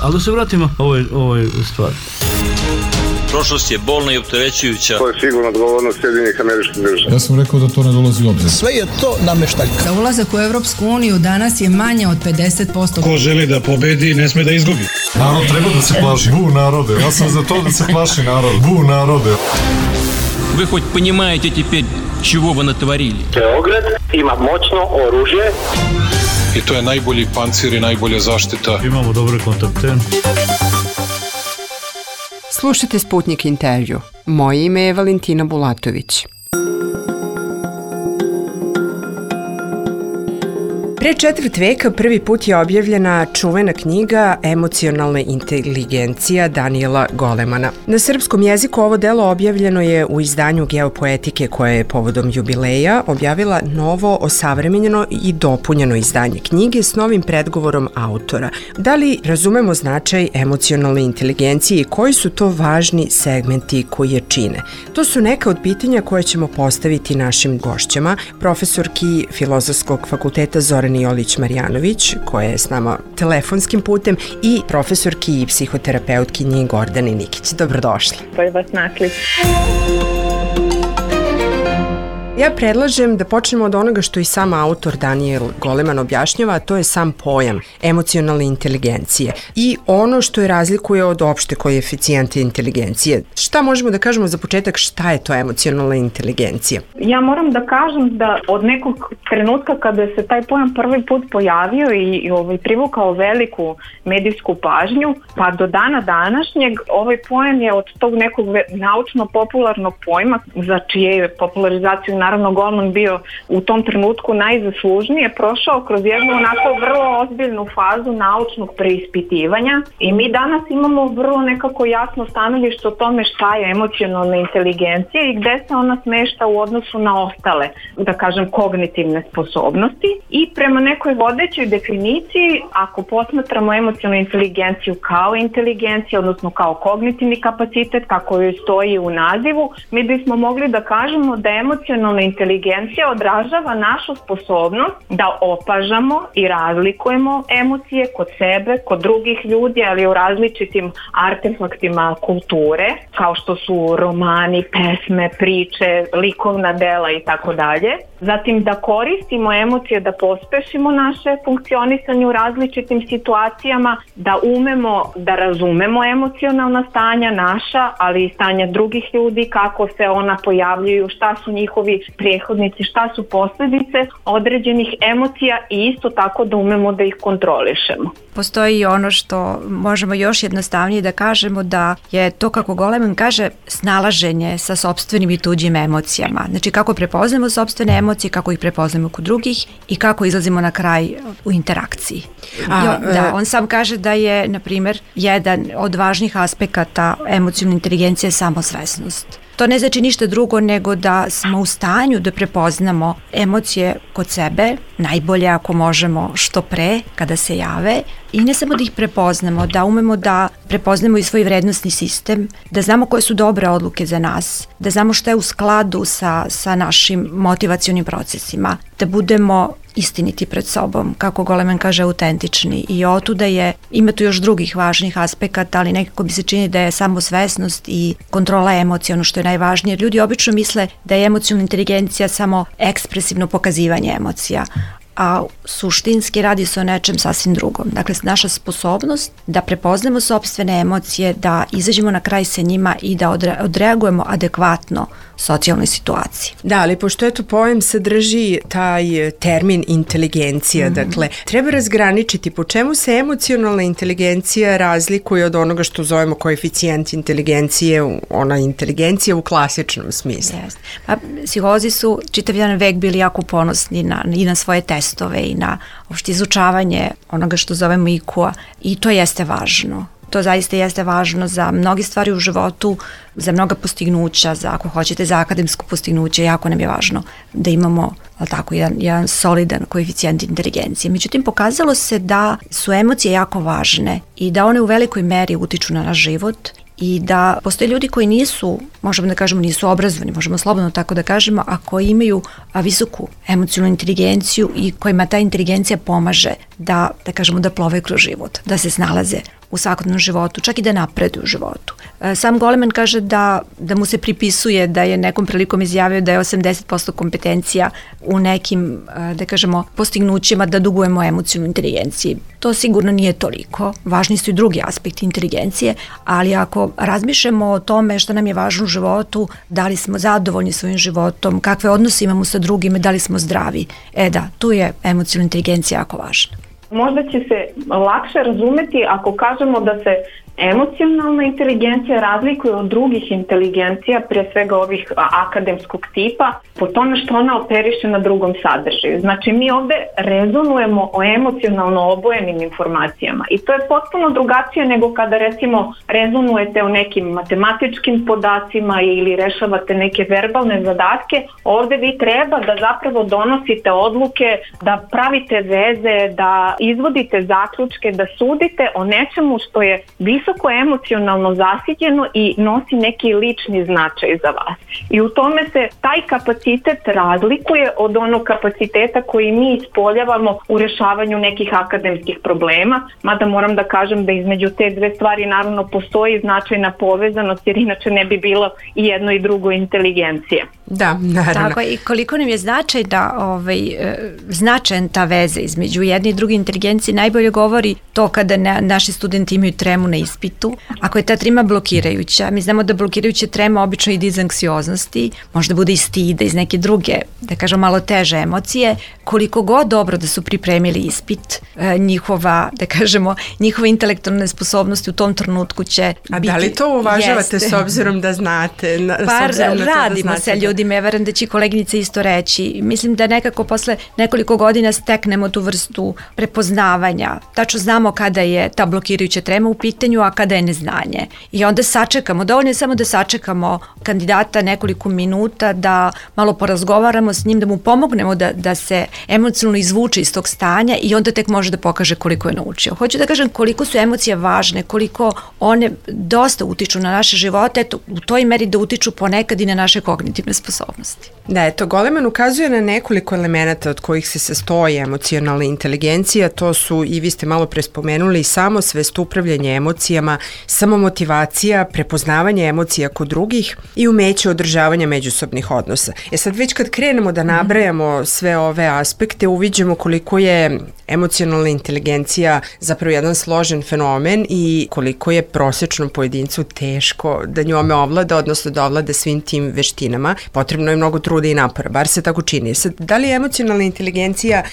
Ali da se vratimo ovoj stvari. Prošlost je bolna i opterećujuća. To je sigurno odgovornost Sjedinjenih Američkih Država. Ja sam rekao da to ne dolazi u obzir. Sve je to nameštaljka. Za ulazak u Evropsku uniju danas je manje od 50%. Ko želi da pobedi, ne sme da izgubi. Narod treba da se plaši. Bu narode. Ja sam za to da se plaši narod. Bu narode. Вы хоть понимаете теперь, чего вы натворили? Beograd ima moćno oružje. I to je najbolji pancir i najbolja zaštita. Imamo dobre kontakte. Slušajte Sputnik intervju. Moje ime je Valentina Bulatović. Pre četvrt veka prvi put je objavljena čuvena knjiga Emocionalna inteligencija Daniela Golemana. Na srpskom jeziku ovo delo objavljeno je u izdanju Geopoetike koje je povodom jubileja objavila novo, osavremenjeno i dopunjeno izdanje knjige s novim predgovorom autora. Da li razumemo značaj emocionalne inteligencije i koji su to važni segmenti koji je čine? To su neka od pitanja koje ćemo postaviti našim gošćama, profesorki Filozofskog fakulteta Zorani Jolić-Marjanović, koja je s nama telefonskim putem, i profesorki i psihoterapeutkinji Gordani Nikić. Dobrodošli. Bolje vas našli. Ja predlažem da počnemo od onoga što i sam autor Daniel Goleman objašnjava, a to je sam pojam emocionalne inteligencije i ono što je razlikuje od opšte koeficijente inteligencije. Šta možemo da kažemo za početak, šta je to emocionalna inteligencija? Ja moram da kažem da od nekog trenutka kada se taj pojam prvi put pojavio i privukao veliku medijsku pažnju, pa do dana današnjeg ovaj pojam je od tog nekog naučno-popularnog pojma, za čije je popularizaciju naravno Goleman bio u tom trenutku najzaslužnije, prošao kroz jednu onako vrlo ozbiljnu fazu naučnog preispitivanja i mi danas imamo vrlo nekako jasno stanovište o tome šta je emocionalna inteligencija i gde se ona smešta u odnosu na ostale, da kažem, kognitivne sposobnosti. I prema nekoj vodećoj definiciji, ako posmatramo emocionalnu inteligenciju kao inteligencija, odnosno kao kognitivni kapacitet, kako joj stoji u nazivu, mi bismo mogli da kažemo da emocionalna inteligencija odražava našu sposobnost da opažamo i razlikujemo emocije kod sebe, kod drugih ljudi, ali u različitim artefaktima kulture, kao što su romani, pesme, priče, likovna dela i tako dalje. Zatim da koristimo emocije da pospešimo naše funkcionisanje u različitim situacijama, da umemo da razumemo emocionalna stanja naša, ali i stanja drugih ljudi, kako se ona pojavljuju, šta su njihovi prethodnici, šta su posljedice određenih emocija i isto tako da umemo da ih kontrolišemo. Postoji ono što možemo još jednostavnije da kažemo, da je to, kako Goleman kaže, snalaženje sa sopstvenim i tuđim emocijama. Znači kako prepoznamo sopstvene emocije, kako ih prepoznamo kod drugih i kako izlazimo na kraj u interakciji. On sam kaže da je, na primjer, jedan od važnih aspekata emocionalne inteligencije samosvesnost. To ne znači ništa drugo nego da smo u stanju da prepoznamo emocije kod sebe, najbolje ako možemo što pre kada se jave, i ne samo da ih prepoznamo, da umemo da prepoznamo i svoj vrednostni sistem, da znamo koje su dobre odluke za nas, da znamo što je u skladu sa našim motivacionim procesima, da budemo istiniti pred sobom, kako Goleman kaže, autentični. I otuda ima tu još drugih važnih aspekata, ali nekako bi se čini da je samosvesnost i kontrola emocija ono što je najvažnije. Ljudi obično misle da je emocionalna inteligencija samo ekspresivno pokazivanje emocija, a suštinski radi se o nečem sasvim drugom. Dakle, naša sposobnost da prepoznamo sopstvene emocije, da izađemo na kraj sa njima i da odreagujemo adekvatno socijalnoj situaciji. Da, ali pošto eto pojam sadrži taj termin inteligencija, dakle, treba razgraničiti po čemu se emocionalna inteligencija razlikuje od onoga što zovemo koeficijent inteligencije, ona inteligencija u klasičnom smislu. Pa, psiholozi su čitav jedan vek bili jako ponosni i na svoje testove i na opšte izučavanje onoga što zovemo IQ-a i to jeste važno. To zaista jeste važno za mnoge stvari u životu, za mnoga postignuća, ako hoćete za akademsko postignuće, jako nam je važno da imamo tako jedan solidan koeficijent inteligencije. Međutim, pokazalo se da su emocije jako važne i da one u velikoj meri utiču na naš život i da postoje ljudi koji nisu, možemo da kažemo nisu obrazovani, možemo slobodno tako da kažemo, a koji imaju visoku emocionalnu inteligenciju i kojima ta inteligencija pomaže da kažemo da plove kroz život, da se snalaze u svakodnevnom životu, čak i da napreduju u životu. Sam Goleman kaže da mu se pripisuje da je nekom prilikom izjavio da je 80% kompetencija u nekim, da kažemo, postignućima da dugujemo emocionalnoj inteligenciji. To sigurno nije toliko. Važni su i drugi aspekti inteligencije, ali ako razmišljamo o tome šta nam je važno u životu, da li smo zadovoljni svojim životom, kakve odnose imamo sa drugima, da li smo zdravi, tu je emocionalna inteligencija jako važna. Možda će se lakše razumeti ako kažemo da se emocionalna inteligencija razlikuje od drugih inteligencija, prije svega ovih akademskog tipa, po tome što ona operiše na drugom sadržaju. Znači mi ovde rezonujemo o emocionalno obojenim informacijama i to je potpuno drugačije nego kada recimo rezonujete o nekim matematičkim podacima ili rešavate neke verbalne zadatke. Ovde vi treba da zapravo donosite odluke, da pravite veze, da izvodite zaključke, da sudite o nečemu što je visoko emocionalno zasićeno i nosi neki lični značaj za vas. I u tome se taj kapacitet razlikuje od onog kapaciteta koji mi ispoljavamo u rešavanju nekih akademskih problema, mada moram da kažem da između te dve stvari naravno postoji značajna povezanost, jer inače ne bi bilo i jedno i drugo inteligencije. Da, naravno. Tako i koliko nam je značajan ta veza između jedne i druge inteligencije najbolje govori to kada naši studenti imaju tremu na ispitu. Ako je ta trema blokirajuća, mi znamo da blokirajuća trema obično ide iz anksioznosti, možda bude iz stida, iz neke druge, da kažem malo teže emocije, koliko god dobro da su pripremili ispit, njihove intelektualne sposobnosti u tom trenutku će biti... A da li to uvažavate s obzirom da znate? Radimo sa ljudima, ja verujem da će koleginica isto reći. Mislim da nekako posle nekoliko godina steknemo tu vrstu prepoznavanja. Tačno znamo kada je ta blokirajuća trema u pitanju, a kada je neznanje. I onda sačekamo, dovoljno je samo da sačekamo kandidata nekoliko minuta, da malo porazgovaramo s njim, da mu pomognemo da se emocionalno izvuče iz tog stanja i onda tek može da pokaže koliko je naučio. Hoću da kažem koliko su emocije važne, koliko one dosta utiču na naše živote, u toj meri da utiču ponekad i na naše kognitivne sposobnosti. Da, Goleman ukazuje na nekoliko elemenata od kojih se sastoji emocionalna inteligencija, to su, i vi ste malo pre spomenuli, samosvest, upravljanje emocijama, samomotivacija, prepoznavanje emocija kod drugih i umeće održavanja međusobnih odnosa. Sad već kad krenemo da nabrajamo sve ove aspekte, uviđamo koliko je emocionalna inteligencija zapravo jedan složen fenomen i koliko je prosječnom pojedincu teško da njome ovlada, odnosno da ovlada svim tim veštinama. Potrebno je mnogo truda i napora, bar se tako čini. Sad, da li je emocionalna inteligencija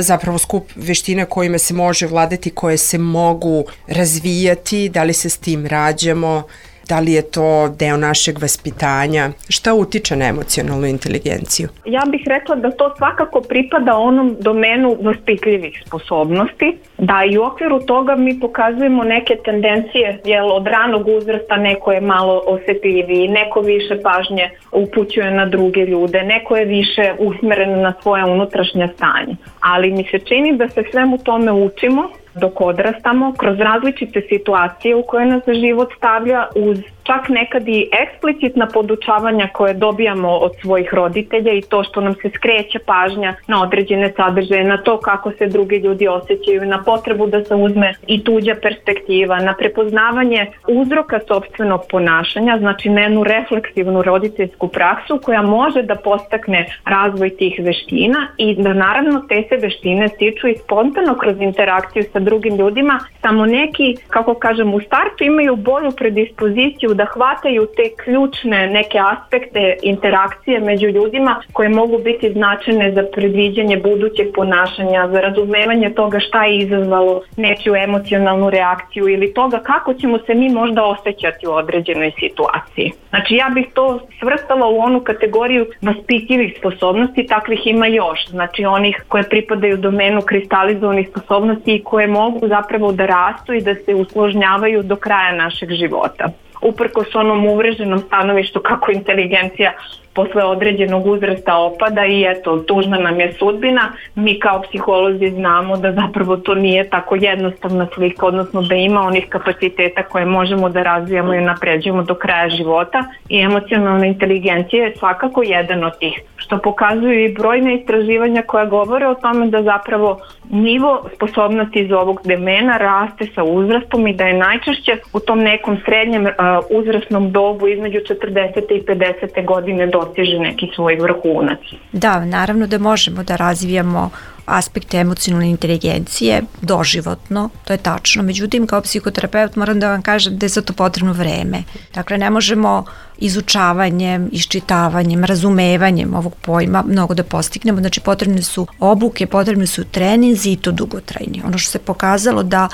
zapravo skup veština kojima se može vladati, koje se mogu razvijati, da li se s tim rađamo, da li je to deo našeg vaspitanja? Šta utiče na emocionalnu inteligenciju? Ja bih rekla da to svakako pripada onom domenu vaspitljivih sposobnosti, da i u okviru toga mi pokazujemo neke tendencije, od ranog uzrasta neko je malo osetljiviji, neko više pažnje upućuje na druge ljude, neko je više usmeren na svoje unutrašnje stanje. Ali mi se čini da se svemu tome učimo dok odrastamo, kroz različite situacije u koje nas život stavlja, uz čak nekad i eksplicitna podučavanja koje dobijamo od svojih roditelja i to što nam se skreće pažnja na određene sadržaje, na to kako se drugi ljudi osjećaju, na potrebu da se uzme i tuđa perspektiva, na prepoznavanje uzroka sopstvenog ponašanja, znači na jednu refleksivnu roditeljsku praksu koja može da podstakne razvoj tih veština i da naravno te se veštine stiču i spontano kroz interakciju sa drugim ljudima, samo neki, kako kažem, u startu imaju bolju predispoziciju da hvataju te ključne neke aspekte interakcije među ljudima koje mogu biti značajne za predviđanje budućeg ponašanja, za razumevanje toga šta je izazvalo nečiju emocionalnu reakciju ili toga kako ćemo se mi možda osjećati u određenoj situaciji. Znači ja bih to svrstala u onu kategoriju vaspitljivih sposobnosti, takvih ima još, znači onih koje pripadaju domenu kristalizovanih sposobnosti i koje mogu zapravo da rastu i da se usložnjavaju do kraja našeg života. Uprkos onom uvreženom stanovištu kako inteligencija posle određenog uzrasta opada i eto, tužna nam je sudbina. Mi kao psiholozi znamo da zapravo to nije tako jednostavna slika, odnosno da ima onih kapaciteta koje možemo da razvijamo i napređujemo do kraja života i emocionalna inteligencija je svakako jedan od tih, što pokazuju i brojne istraživanja koja govore o tome da zapravo nivo sposobnosti iz ovog domena raste sa uzrastom i da je najčešće u tom nekom srednjem uzrasnom dobu između 40. i 50. godine dostiže neki svoj vrhunac. Da, naravno da možemo da razvijamo aspekte emocionalne inteligencije doživotno, to je tačno. Međutim, kao psihoterapeut moram da vam kažem da je za to potrebno vreme. Dakle, ne možemo izučavanjem, iščitavanjem, razumevanjem ovog pojma mnogo da postignemo. Znači, potrebne su obuke, potrebne su treninzi i to dugotrajni. Ono što se pokazalo da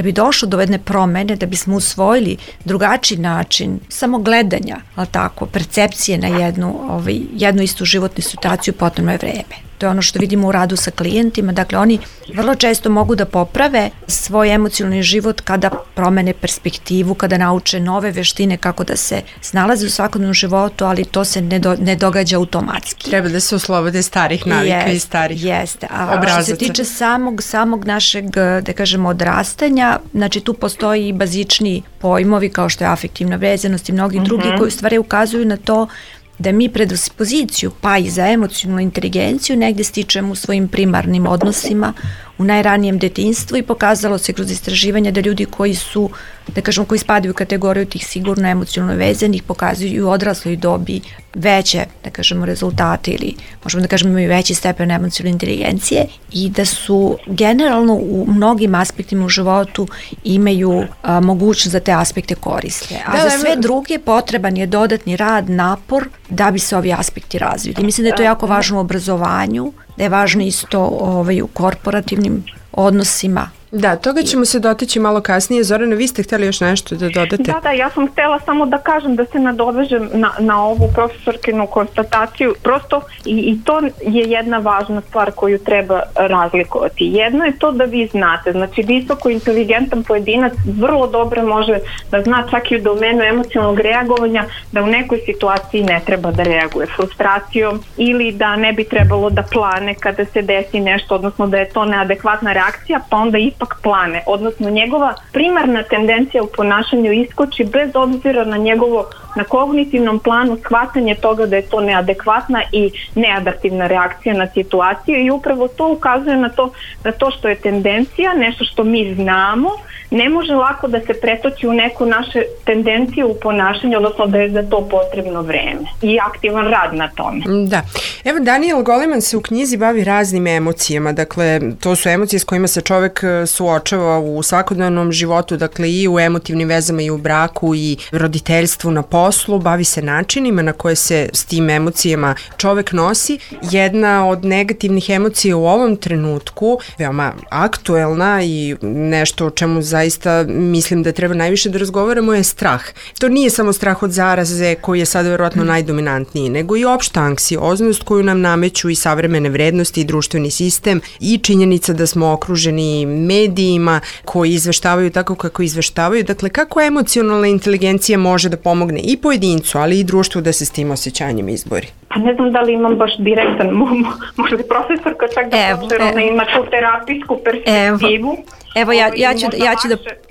bi došlo do jedne promene, da bismo usvojili drugačiji način samo gledanja, ali tako, percepcije na jednu istu životnu situaciju, potrebno je vreme. To je ono što vidimo u radu sa klijentima. Dakle, oni vrlo često mogu da poprave svoj emocionalni život kada promene perspektivu, kada nauče nove veštine kako da se snalaze u svakodnevnom životu, ali to se ne događa automatski. Treba da se oslobode starih navika i starih obrazaca. Što se tiče samog našeg, da kažemo, odrastanja, znači tu postoji i bazični pojmovi kao što je afektivna vezanost i mnogi drugi koji u stvari ukazuju na to da mi predispoziciju pa i za emocionalnu inteligenciju negdje stičemo u svojim primarnim odnosima u najranijem detinjstvu i pokazalo se kroz istraživanja da ljudi koji su, da kažemo, koji spadaju u kategoriju tih sigurno emocionalno vezanih pokazuju i u odrasloj dobi veće, da kažemo, rezultate ili možemo da kažemo imaju veći stepen emocionalne inteligencije i da su generalno u mnogim aspektima u životu imaju mogućnost da te aspekte koriste. A za sve druge potreban je dodatni rad, napor da bi se ovi aspekti razvili. Mislim da je to jako važno u obrazovanju, da je važno isto u korporativnim odnosima. Da, toga ćemo se dotaći malo kasnije. Zorana, vi ste htjeli još nešto da dodate? Da, ja sam htjela samo da kažem da se nadovežem na ovu profesorkinu konstataciju. Prosto i to je jedna važna stvar koju treba razlikovati. Jedno je to da vi znate, znači visoko inteligentan pojedinac vrlo dobro može da zna čak i u domenu emocionalnog reagovanja da u nekoj situaciji ne treba da reaguje frustracijom ili da ne bi trebalo da plane kada se desi nešto, odnosno da je to neadekvatna reakcija, pa onda ipak plane, odnosno njegova primarna tendencija u ponašanju iskoči bez obzira na kognitivnom planu shvatanje toga da je to neadekvatna i neadaptivna reakcija na situaciju i upravo to ukazuje na to da to što je tendencija, nešto što mi znamo, ne može lako da se pretoči u neku naše tendencije u ponašanju, odnosno da je za to potrebno vreme i aktivan rad na tome. Da. Evo, Daniel Goleman se u knjizi bavi raznim emocijama, dakle, to su emocije s kojima se čovek suočava u svakodnevnom životu, dakle i u emotivnim vezama i u braku i roditeljstvu, na poslu, bavi se načinima na koje se s tim emocijama čovek nosi. Jedna od negativnih emocija u ovom trenutku, veoma aktuelna i nešto o čemu zaista mislim da treba najviše da razgovaramo je strah. To nije samo strah od zaraze koji je sad verovatno najdominantniji, nego i opšta anksioznost koju nam nameću i savremene vrednosti i društveni sistem i činjenica da smo okruženi medijima koji izveštavaju tako kako izveštavaju. Dakle, kako emocionalna inteligencija može da pomogne i pojedincu, ali i društvu da se s tim osjećanjem izbori? Pa ne znam da li imam baš direktan, možda je profesorka čak da ona ima tu terapijsku perspektivu. Evo,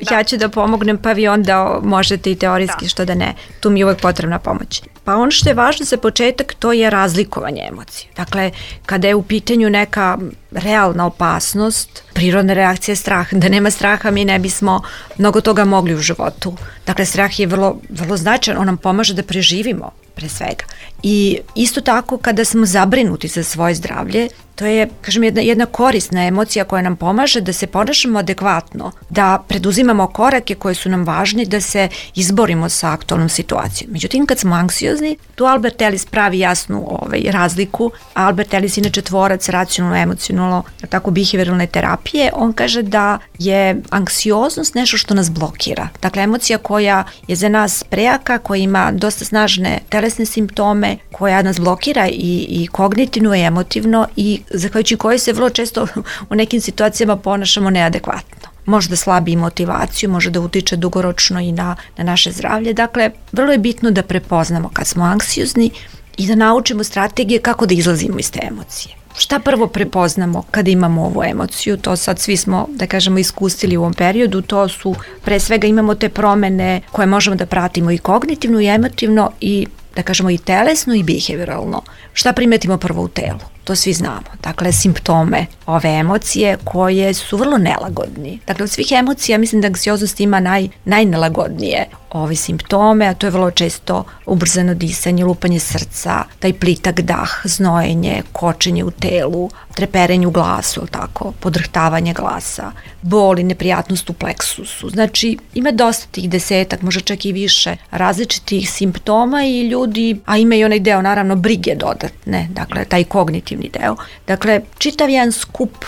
ja ću da pomognem, pa vi onda možete i teorijski, što da ne. Tu mi je uvek potrebna pomoć. Pa ono što je važno za početak, to je razlikovanje emocije. Dakle, kada je u pitanju neka realna opasnost, prirodna reakcija je strah. Da nema straha mi ne bismo mnogo toga mogli u životu. Dakle, strah je vrlo, vrlo značajan, on nam pomaže da preživimo pre svega. I isto tako kada smo zabrinuti za svoje zdravlje, to je, kažem, jedna korisna emocija koja nam pomaže da se ponašamo adekvatno, da preduzimamo korake koje su nam važni, da se izborimo sa aktualnom situacijom. Međutim, kad smo anksiozni, tu Albert Ellis pravi jasnu razliku. Albert Ellis inače tvorac racionalno-emocionalno, tako behavioralne terapije, on kaže da je anksioznost nešto što nas blokira. Dakle, emocija koja je za nas prejaka, koja ima dosta snažne telesne simptome, koja nas blokira i kognitivno i emotivno i zahvaljujući kojoj se vrlo često u nekim situacijama ponašamo neadekvatno. Može da slabi motivaciju, može da utiče dugoročno i na naše zdravlje. Dakle, vrlo je bitno da prepoznamo kad smo anksiozni i da naučimo strategije kako da izlazimo iz te emocije. Šta prvo prepoznamo kada imamo ovu emociju? To sad svi smo, da kažemo, iskusili u ovom periodu. To su, pre svega imamo te promene koje možemo da pratimo i kognitivno i emotivno i, da kažemo, i telesno i behavioralno. Šta primetimo prvo u telu? To svi znamo. Dakle, simptome ove emocije koje su vrlo nelagodni. Dakle, od svih emocija mislim da anksioznost ima najnelagodnije ove simptome, a to je vrlo često ubrzano disanje, lupanje srca, taj plitak dah, znojenje, kočenje u telu, treperenje u glasu, tako, podrhtavanje glasa, bol i neprijatnost u pleksusu. Znači, ima dosta tih 10, možda čak i više različitih simptoma i ljudi, a ima i onaj deo, naravno, brige dodatne, dakle, taj kognitivni deo. Dakle, čitav jedan skup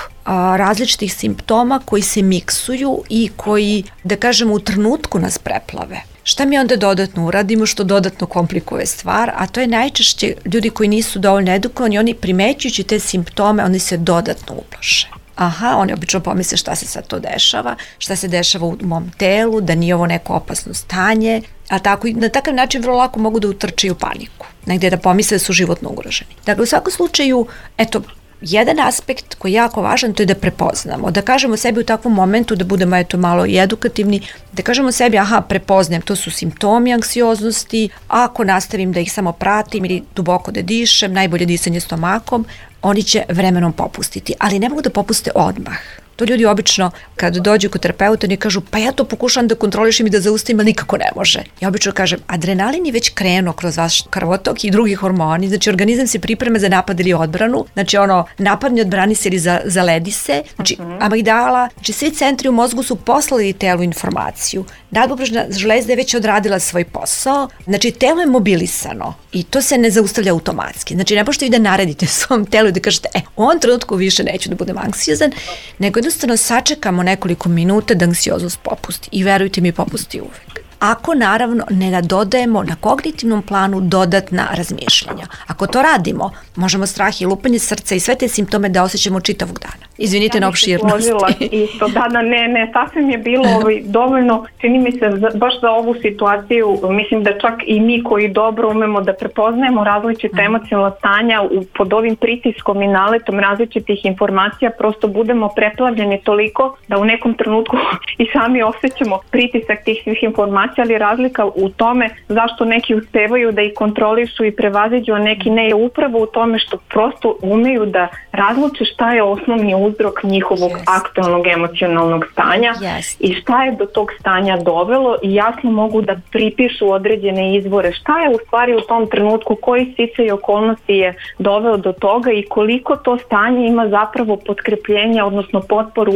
različitih simptoma koji se miksuju i koji, da kažemo, u trenutku nas preplave. Šta mi onda dodatno uradimo što dodatno komplikuje stvar, a to je najčešće ljudi koji nisu dovoljno edukovani, oni primećujući te simptome, oni se dodatno uplaše. Aha, oni obično pomisle šta se sad to dešava, šta se dešava u mom telu, da nije ovo neko opasno stanje, a tako i na takav način vrlo lako mogu da utrče u paniku, negdje da pomisle da su životno ugroženi. Dakle, u svakom slučaju, eto, jedan aspekt koji je jako važan, to je da prepoznamo, da kažemo sebi u takvom momentu, da budemo eto malo i edukativni, da kažemo sebi, aha, prepoznajem, to su simptomi anksioznosti, ako nastavim da ih samo pratim ili duboko da dišem, najbolje disanje stomakom, oni će vremenom popustiti, ali ne mogu da popuste odmah. To ljudi obično, kad dođu kod terapeuta, oni kažu, pa ja to pokušam da kontrolišem i da zaustavim, ali nikako ne može. Ja obično kažem, adrenalin je već krenuo kroz vaš krvotok i drugi hormoni, znači organizam se priprema za napad ili odbranu, znači napadni, odbrani se ili zaledi se, znači amigdala, znači svi centri u mozgu su poslali telu informaciju. Nadbubrežna žlezda je već odradila svoj posao, znači telo je mobilisano i to se ne zaustavlja automatski. Znači ne možete vi da naredite svom telu i da kažete, u ovom trenutku više neću da budem anksiozan, nego jednostavno sačekamo nekoliko minuta da anksioznost popusti i verujte mi, popusti uvek. Ako naravno ne nadodajemo na kognitivnom planu dodatna razmišljanja. Ako to radimo, možemo strah i lupanje srca i sve te simptome da osjećamo čitavog dana. Izvinite na opširnosti. Isto, ne, sasvim je bilo dovoljno, čini mi se baš za ovu situaciju, mislim da čak i mi koji dobro umemo da prepoznajemo različite emocionalna stanja pod ovim pritiskom i naletom različitih informacija, prosto budemo preplavljeni toliko da u nekom trenutku i sami osjećamo pritisak tih svih informacija, ali razlika u tome zašto neki uspevaju da ih kontrolišu i prevaziđu, a neki ne, je upravo u tome što prosto umeju da razluče šta je osnovni uzrok njihovog aktualnog emocionalnog stanja i šta je do tog stanja dovelo i jasno mogu da pripišu određene izvore. Šta je u stvari u tom trenutku, koji sticaj i okolnosti je doveo do toga i koliko to stanje ima zapravo potkrepljenja, odnosno potporu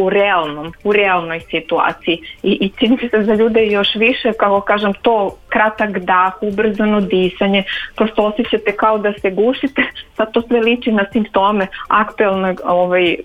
u realnoj situaciji. I čini se za ljude još više, kako kažem, to kratak dah, ubrzano disanje, prosto osjećate kao da se gušite, sad to sve liči na simptome aktualnog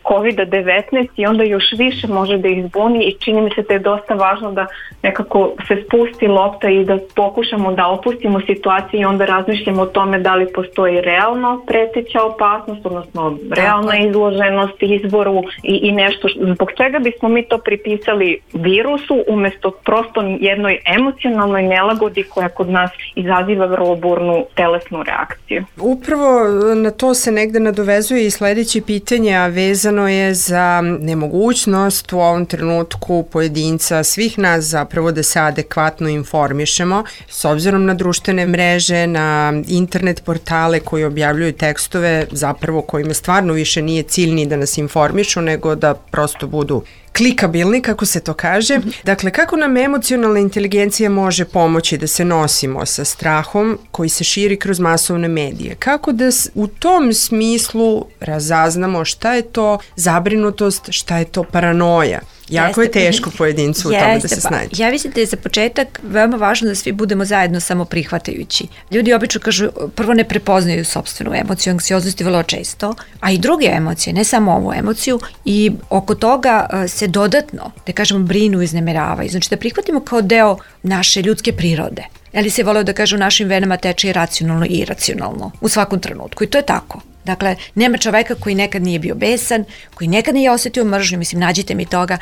COVID-19 i onda još više može da ih zbuni i čini mi se da je dosta važno da nekako se spusti lopta i da pokušamo da opustimo situaciju i onda razmišljamo o tome da li postoji realno preteća opasnost, odnosno realna izloženost izvoru i nešto zbog čega bismo mi to pripisali virusu umjesto prosto jednoj emocionalnoj nelagodi koja kod nas izaziva vrlo burnu telesnu reakciju. Upravo na to se negde nadovezuje i sledeće pitanje, a vezano je za nemogućnost u ovom trenutku pojedinca, svih nas zapravo da se adekvatno informišemo s obzirom na društvene mreže, na internet portale koji objavljuju tekstove zapravo kojima stvarno više nije cilj ni da nas informišu, nego da prosto budu klikabilni, kako se to kaže. Dakle, kako nam emocionalna inteligencija može pomoći da se nosimo sa strahom koji se širi kroz masovne medije? Kako da u tom smislu razaznamo šta je to zabrinutost, šta je to paranoja? Jako je teško pojedincu u tome da se snađe. Ja mislim da je za početak veoma važno da svi budemo zajedno samo prihvatajući. Ljudi obično kažu, prvo ne prepoznaju sopstvenu emociju, anksioznosti vrlo često, a i druge emocije, ne samo ovu emociju, i oko toga se dodatno, da kažemo, brinu i iznemiravaju. Znači da prihvatimo kao deo naše ljudske prirode. Ali se voleo da kaže u našim venama teče i racionalno i iracionalno u svakom trenutku i to je tako. Dakle, nema čoveka koji nekad nije bio besan, koji nekad nije osjetio mržnju, mislim, nađite mi toga,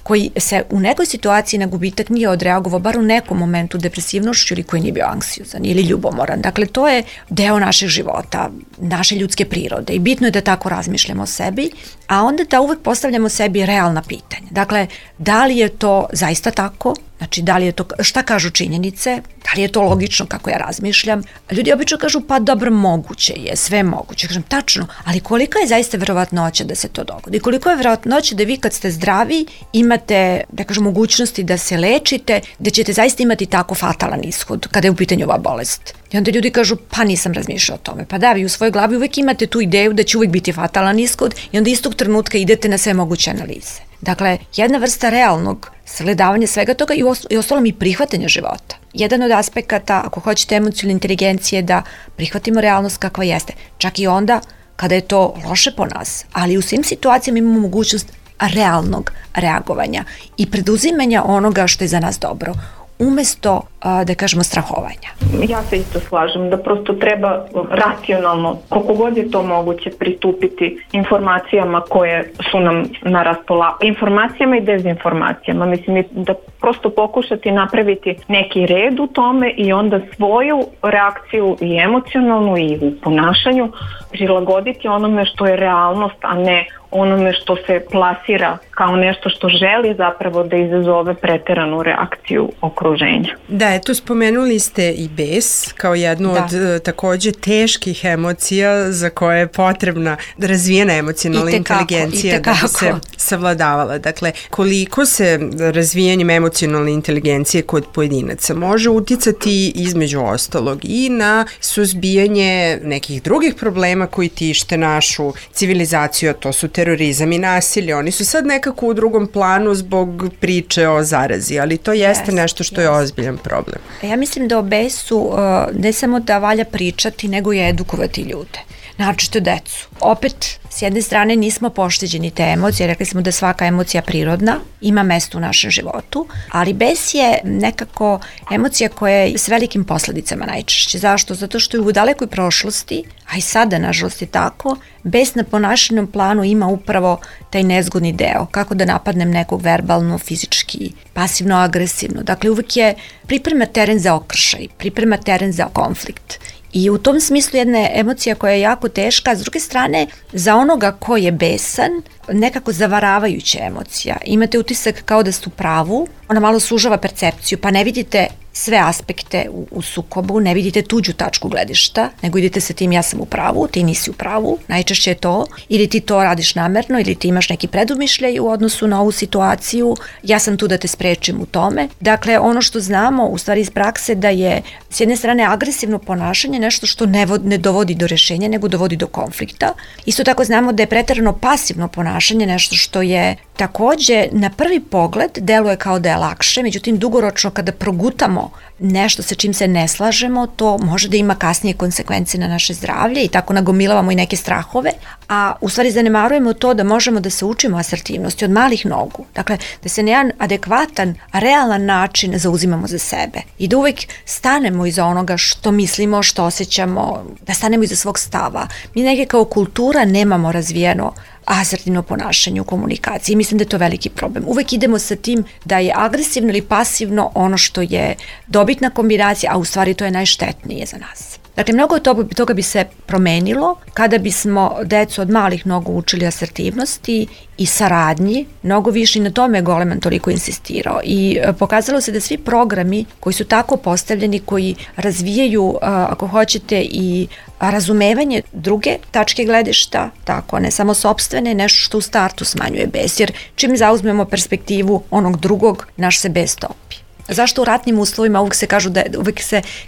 koji se u nekoj situaciji na gubitak nije odreagovao, bar u nekom momentu depresivnošću ili koji nije bio anksiozan ili ljubomoran. Dakle, to je deo našeg života, naše ljudske prirode i bitno je da tako razmišljamo o sebi, a onda da uvek postavljamo sebi realna pitanja. Dakle, da li je to zaista tako? Znači, da li je to, šta kažu činjenice, da li je to logično kako ja razmišljam. Ljudi obično kažu, pa dobro, moguće je, sve moguće. Kažem, tačno, ali kolika je zaista verovatnoća da se to dogodi? Koliko je verovatnoća da vi kad ste zdravi imate, da kažem, mogućnosti da se lečite, da ćete zaista imati tako fatalan ishod kada je u pitanju ova bolest? I onda ljudi kažu, pa nisam razmišljao o tome. Pa da, vi u svojoj glavi uvek imate tu ideju da će uvek biti fatalan ishod i onda istog trenutka idete na sve moguće analize. Dakle, jedna vrsta realnog sagledavanja svega toga i ostalom i prihvatanja života. Jedan od aspekata, ako hoćete, emocionalne inteligencije, da prihvatimo realnost kakva jeste. Čak i onda kada je to loše po nas, ali u svim situacijama imamo mogućnost realnog reagovanja i preduzimanja onoga što je za nas dobro, umesto, da kažemo, strahovanja. Ja se isto slažem da prosto treba racionalno, koliko god je to moguće, pristupiti informacijama koje su nam na raspolaganju, informacijama i dezinformacijama. Mislim da prosto pokušati napraviti neki red u tome i onda svoju reakciju i emocionalnu i u ponašanju prilagoditi onome što je realnost, a ne onome što se plasira kao nešto što želi zapravo da izazove preteranu reakciju okruženja. Da, eto, spomenuli ste i bes kao jednu od takođe teških emocija za koje je potrebna razvijena emocionalna inteligencija da bi se savladavala. Dakle, koliko se razvijanjem emocionalne inteligencije kod pojedinaca može uticati između ostalog i na suzbijanje nekih drugih problema koji tište našu civilizaciju, a to su terorizam i nasilje. Oni su sad nekako u drugom planu zbog priče o zarazi, ali to jeste nešto što je ozbiljan problem. Ja mislim da o besu ne samo da valja pričati, nego i edukovati ljude. Naročito decu. Opet, s jedne strane nismo pošteđeni te emocije, rekli smo da svaka emocija prirodna, ima mesto u našem životu, ali bes je nekako emocija koja je s velikim posledicama najčešće. Zašto? Zato što je u dalekoj prošlosti, a i sada nažalost je tako, bes na ponašanjem planu ima upravo taj nezgodni deo, kako da napadnem nekog verbalno, fizički, pasivno, agresivno. Dakle, uvek je priprema teren za okršaj, priprema teren za konflikt. I u tom smislu jedna emocija koja je jako teška, a s druge strane, za onoga ko je besan, nekako zavaravajuća emocija. Imate utisak kao da ste u pravu, ona malo sužava percepciju, pa ne vidite sve aspekte u sukobu, ne vidite tuđu tačku gledišta, nego idete sa tim ja sam u pravu, ti nisi u pravu, najčešće je to, ili ti to radiš namerno, ili ti imaš neki predumišljaj u odnosu na ovu situaciju, ja sam tu da te sprečim u tome. Dakle, ono što znamo, u stvari iz prakse, da je s jedne strane agresivno ponašanje nešto što ne dovodi do rešenja, nego dovodi do konflikta. Isto tako znamo da je preterano pasivno ponašanje nešto što je takođe na prvi pogled deluje kao da je lakše, međutim dugoročno kada progutamo nešto sa čim se ne slažemo, to može da ima kasnije konsekvence na naše zdravlje i tako nagomilavamo i neke strahove, a u stvari zanemarujemo to da možemo da se učimo asertivnosti od malih nogu. Dakle, da se na jedan adekvatan, realan način zauzimamo za sebe i da uvek stanemo iza onoga što mislimo, što osjećamo, da stanemo iza svog stava. Mi neke kao kultura nemamo razvijeno asertivno ponašanje u komunikaciji. Mislim da je to veliki problem. Uvek idemo sa tim da je agresivno ili pasivno ono što je dobitna kombinacija, a u stvari to je najštetnije za nas. Dakle, mnogo toga bi se promenilo kada bismo decu od malih nogu učili asertivnosti i saradnji, mnogo više i na tome je Goleman toliko insistirao i pokazalo se da svi programi koji su tako postavljeni, koji razvijaju, ako hoćete, i razumevanje druge tačke gledišta, tako, ne samo sopstvene, nešto što u startu smanjuje bes, jer čim zauzmemo perspektivu onog drugog, naš se bes topi. Zašto u ratnim uslovima uvek se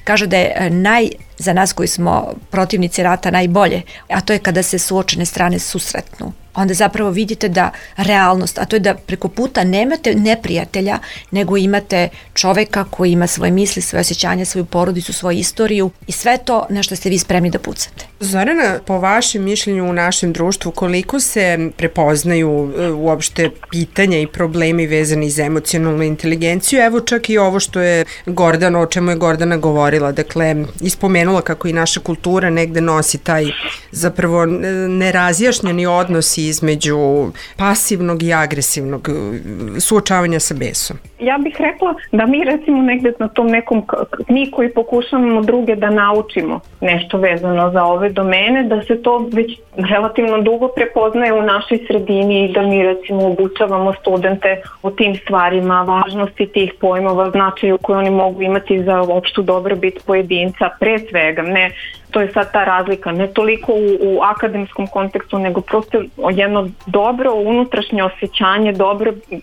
kaže da je za nas koji smo protivnici rata najbolje, a to je kada se suočene strane susretnu. Onda zapravo vidite da realnost, a to je da preko puta nemate neprijatelja, nego imate čoveka koji ima svoje misli, svoje osjećanja, svoju porodicu, svoju istoriju i sve to na što ste vi spremni da pucate. Zorana, po vašem mišljenju u našem društvu, koliko se prepoznaju uopšte pitanja i problemi vezani za emocionalnu inteligenciju? Evo čak i ovo što je Gordana, o čemu je Gordana govorila. Dakle, ispomenula pomenula kako i naša kultura negde nosi taj zapravo nerazjašnjeni odnos između pasivnog i agresivnog suočavanja sa besom. Ja bih rekla da mi recimo negde na tom nekom, mi koji pokušavamo druge da naučimo nešto vezano za ove domene, da se to već relativno dugo prepoznaje u našoj sredini i da mi recimo obučavamo studente o tim stvarima, važnosti tih pojmova, značaju koje oni mogu imati za opštu dobrobit pojedinca, pre svega, ne, to je sad ta razlika, ne toliko u akademskom kontekstu, nego prosto jedno dobro unutrašnje osjećanje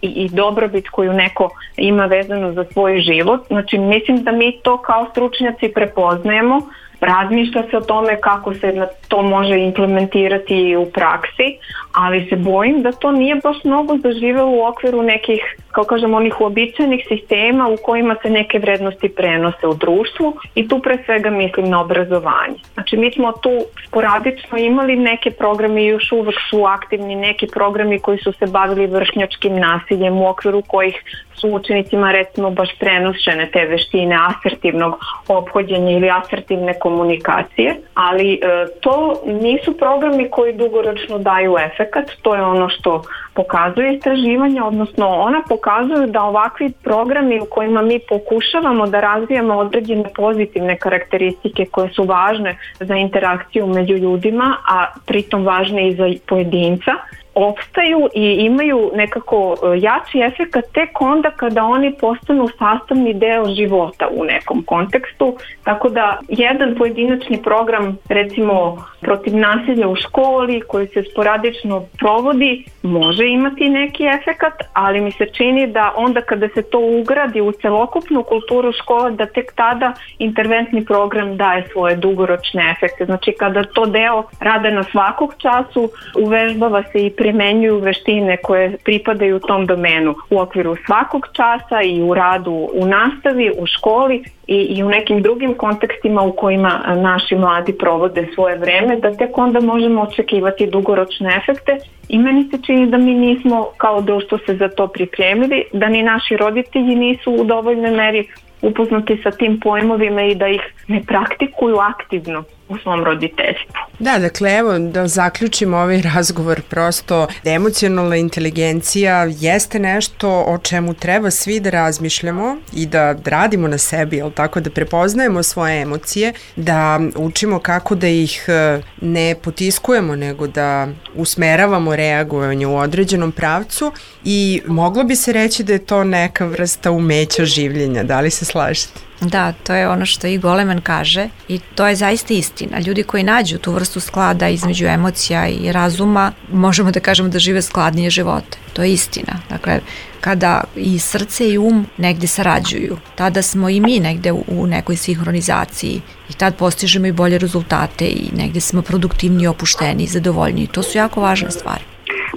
i dobrobit koju neko ima vezano za svoj život. Znači, mislim da mi to kao stručnjaci prepoznajemo, razmišlja se o tome kako se to može implementirati u praksi, ali se bojim da to nije baš mnogo zaživelo u okviru nekih, kao kažem, onih uobičajenih sistema u kojima se neke vrednosti prenose u društvu i tu pre svega mislim na obrazovanje. Znači mi smo tu sporadično imali neke programe i još uvek su aktivni neki programi koji su se bavili vršnjačkim nasiljem u okviru kojih su učenicima recimo baš prenošene te veštine asertivnog ophođenja ili asertivne komunikacije, ali to nisu programi koji dugoročno daju efekat, to je ono što pokazuje istraživanje, odnosno ona pokazuju da ovakvi programi u kojima mi pokušavamo da razvijamo određene pozitivne karakteristike koje su važne za interakciju među ljudima, a pritom važne i za pojedinca, opstaju i imaju nekako jači efekat tek onda kada oni postanu sastavni deo života u nekom kontekstu, tako da jedan pojedinačni program recimo protiv nasilja u školi koji se sporadično provodi može imati neki efekat, ali mi se čini da onda kada se to ugradi u celokupnu kulturu škola, da tek tada interventni program daje svoje dugoročne efekte. Znači kada to deo rada na svakog času, uvežbava se i primenjuju veštine koje pripadaju tom domenu u okviru svakog časa i u radu u nastavi, u školi i u nekim drugim kontekstima u kojima naši mladi provode svoje vreme, da tek onda možemo očekivati dugoročne efekte i meni se čini da mi nismo kao društvo se za to pripremili, da ni naši roditelji nisu u dovoljnoj meri upoznati sa tim pojmovima i da ih ne praktikuju aktivno u svom roditeljstvu. Da, dakle, evo da zaključimo ovaj razgovor, prosto emocionalna inteligencija jeste nešto o čemu treba svi da razmišljamo i da radimo na sebi, jel tako, da prepoznajemo svoje emocije, da učimo kako da ih ne potiskujemo, nego da usmeravamo reagovanje u određenom pravcu i moglo bi se reći da je to neka vrsta umeća življenja. Da li se slažete? Da, to je ono što i Goleman kaže i to je zaista istina. Ljudi koji nađu tu vrstu sklada između emocija i razuma, možemo da kažemo da žive skladnije živote. To je istina. Dakle, kada i srce i negde sarađuju, tada smo i mi negde u nekoj sinhronizaciji i tad postižemo i bolje rezultate i negde smo produktivniji, opušteniji, zadovoljniji. To su jako važne stvari.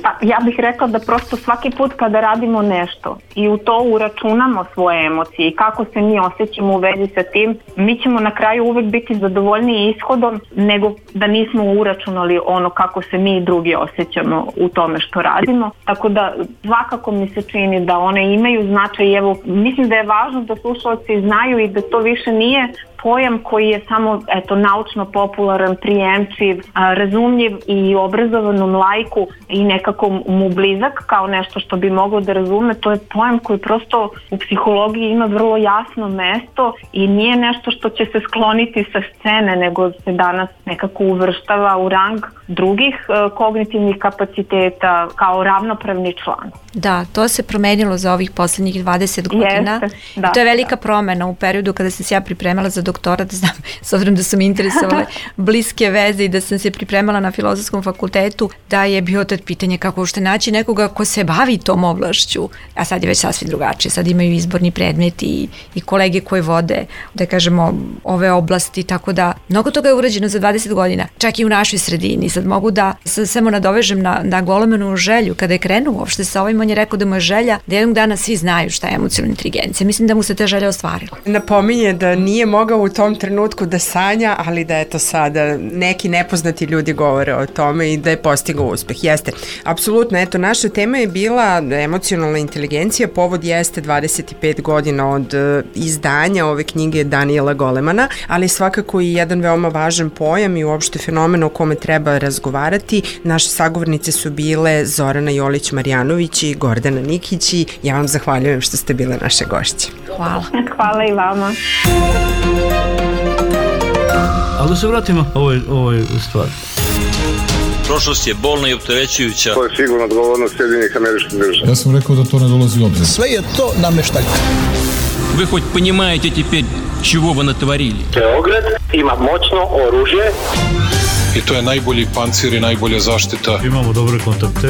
Pa ja bih rekla da prosto svaki put kada radimo nešto i u to uračunamo svoje emocije i kako se mi osjećamo u vezi sa tim, mi ćemo na kraju uvek biti zadovoljniji ishodom nego da nismo uračunali ono kako se mi i drugi osjećamo u tome što radimo. Tako da svakako mi se čini da one imaju značaj. Evo, mislim da je važno da slušalci znaju i da to više nije pojam koji je samo naučno popularan, prijemčiv, razumljiv i obrazovanom laiku i nekako mu blizak kao nešto što bi moglo da razume. To je pojam koji prosto u psihologiji ima vrlo jasno mesto i nije nešto što će se skloniti sa scene, nego se danas nekako uvrštava u rang drugih kognitivnih kapaciteta kao ravnopravni član. Da, to se promenilo za ovih poslednjih 20 godina. Da, to je velika promena u periodu kada sam se ja pripremala za doktorat, znam, s obzirom da su mi interesovale bliske veze i da sam se pripremala na Filozofskom fakultetu, da je bio tad pitanje kako ušte naći nekoga ko se bavi tom oblašću, a sad je već sasvim drugačije, sad imaju izborni predmeti i kolege koje vode, da kažemo, ove oblasti, tako da mnogo toga je urađeno za 20 godina, čak i u našoj sredini, sad mogu da se samo nadovežem na Golemanovu želju. Kada je krenuo uopšte sa ovim, on je rekao da mu je želja da jednog dana svi znaju šta je emocionalna inteligencija. Mislim da mu se te želje ostvarila. Napominje da nije mogao u tom trenutku da sanja, ali da eto sada neki nepoznati ljudi govore o tome i da je postigao uspeh. Jeste, apsolutno, eto, naša tema je bila emocionalna inteligencija, povod jeste 25 godina od izdanja ove knjige Daniela Golemana, ali svakako i jedan veoma važan pojam i uopšte fenomen o kome treba razgovarati. Naše sagovornice su bile Zorana Jolić-Marjanović i Gordana Nikić i ja vam zahvaljujem što ste bile naše gošće. Hvala. Hvala i vama. Ali da se vratimo ovoj stvari. Prošlost je bolna i opterećujuća. To je sigurno odgovornost Sjedinjenih Američkih Država. Ja sam rekao da to ne dolazi u obzir. Sve je to nameštaljka. Вы хоть понимаете теперь, чего вы натворили? Beograd ima moćno oružje. I to je najbolji pancir i najbolja zaštita. Imamo dobre kontakte.